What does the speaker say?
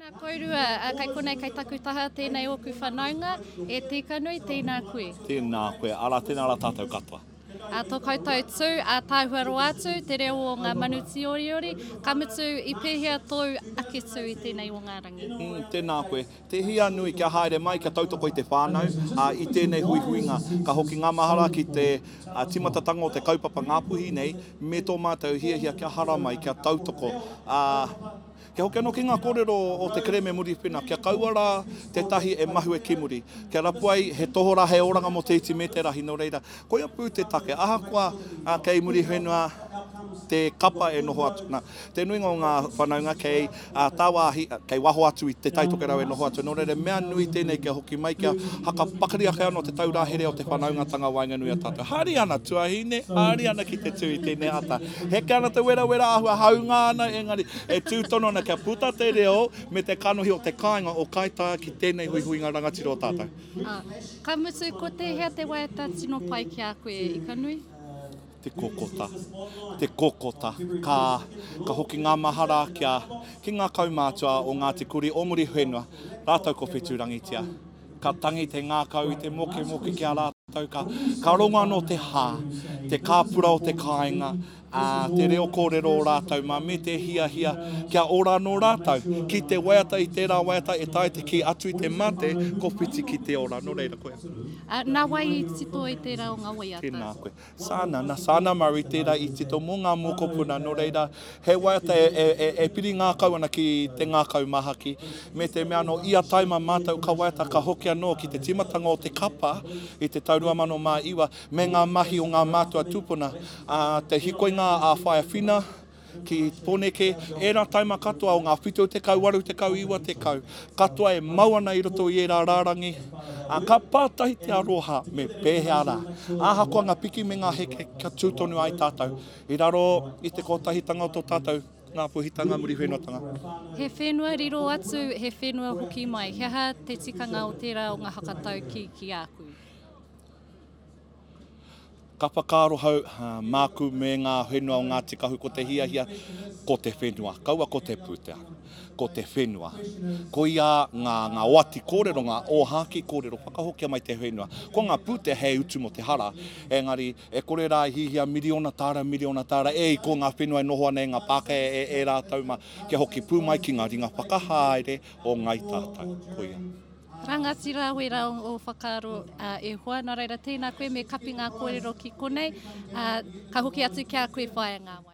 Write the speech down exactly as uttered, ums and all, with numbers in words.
Tēnā kourua, kei konei kei taku taha tēnei ōku whanaunga, e Tīkanui, tēnā koe. Tēnā koe, arā, tēnā rā tātou katoa. A, tō koutou tū, ātaahua roa atu, te reo o ngā manu tīoriori, ka mutu i pēhea tōu ake tū i tēnei o ngā rangi? Mm, tēnā koe. Te hia nui kia haere mai, kia tautoko i te whānau, ā, i tēnei huihuinga. Ka hoki ngā mahara ki te tīmatatanga o te kaupapa Ngāpuhi nei, me tō mātou hiahia kia haramai, kia tautoko, ā, Kia hoki anō ki ngā kōrero o te kerēme Muriwhenua, kia kaua rā tētahi e mahue ki muri, kia rapu ai he tohorā, he oranga mō te iti me te rahi, nō reira, koia pū te take, ahakoa kei Muriwhenua te kapa e noho atu ana, te nuinga o ngā whanaunga kei tāwāhi, kei waho atu i Te Tai Tokerau e noho atu, nō reira, mea nui tēnei kia hoki mai, kia haka pakari ake anō te taurā here o te whanaungatanga waenganui a tātou. Haere ana, tuahine, haere ana ki te tū i tēnei ata. Heke ana te werawera āhua haunga ana, engari e tū tonu ana kia puta te reo me te kanohi o te kāinga o Kaitaia ki tēnei huihuinga rangatira o tātou. Ā, ka mutu, ko tēhea te waiata tino pai ki a koe, Ikanui? Te kokota, te kokota, ka, ka hoki ngā mahara kia, ki ngā kaumātua o Ngāti Kuri o Muriwhenua, rātou ko Whetūrangitia. Ka tangi te ngākau i te mokemoke ki a rātou, ka, ka rongo anō te hā, te kāpura o te kāinga, ā, te reo kōrero o rātou mā, me te hiahia kia ora anō rātou. Ki te waiata i tērā waiata e taea te kī atu i te mate, ko whiti ki te ora. Nō reira, koia. Ā, nā wai i tito i tērā o ngā waiata? Tēnā koe. Sana, nā Sana Murray tērā i tito mō ngā mokopuna, nō reira, he waiata e, e, e, e piri ngākau ana ki te ngākau mahaki, me te mea anō, ia taima mātou ka waiata ka hoki anō ki te tīmatanga o te kapa i te tau rua mano mā iwa, me ngā mahi o ngā mātua tūpuna, ā, te hikoinga a Whaea Whina, Ki Poneke, ērā taima katoa o ngā whitu tekau, waru tekau, iwa tekau, katoa e mau ana i roto i ērā rārangi, ā, ka pātahi te aroha me pēhea rā. Ahakoa ngā piki me ngā heke, kia tū tonu ai tātou i raro i te kotahitanga o tō tātou Ngāpuhitanga, Muriwhenuatanga. He whenua riro atu, he whenua hoki mai. He aha te tikanga o tērā o ngā hakataukī ki a koe? Ka whakaarohau māku me ngā whenua o Ngāti Kahu ko te hiahia, ko te whenua, kaua ko te pūtea, ko te whenua. Koia ngā, ngā oati kōrero, ngā ōhākī kōrero, whakahokia mai te whenua. Ko ngā pūtea hei utu mō te hara, engari e kore rā e hihia miriona tāra, miriona tāra, e i ko ngā whenua e noho ana e ngā Pākehā e, e rātou mā, kia hoki pū mai ki ngā ringa whakahaere o Ngāi Tātou. Koia. Rangatira wera o whakaaro e hoa, nā reira tēnā koe me kapi ngā kōrero ki konei, ka hoki atu ki a koe whaia ngā wai.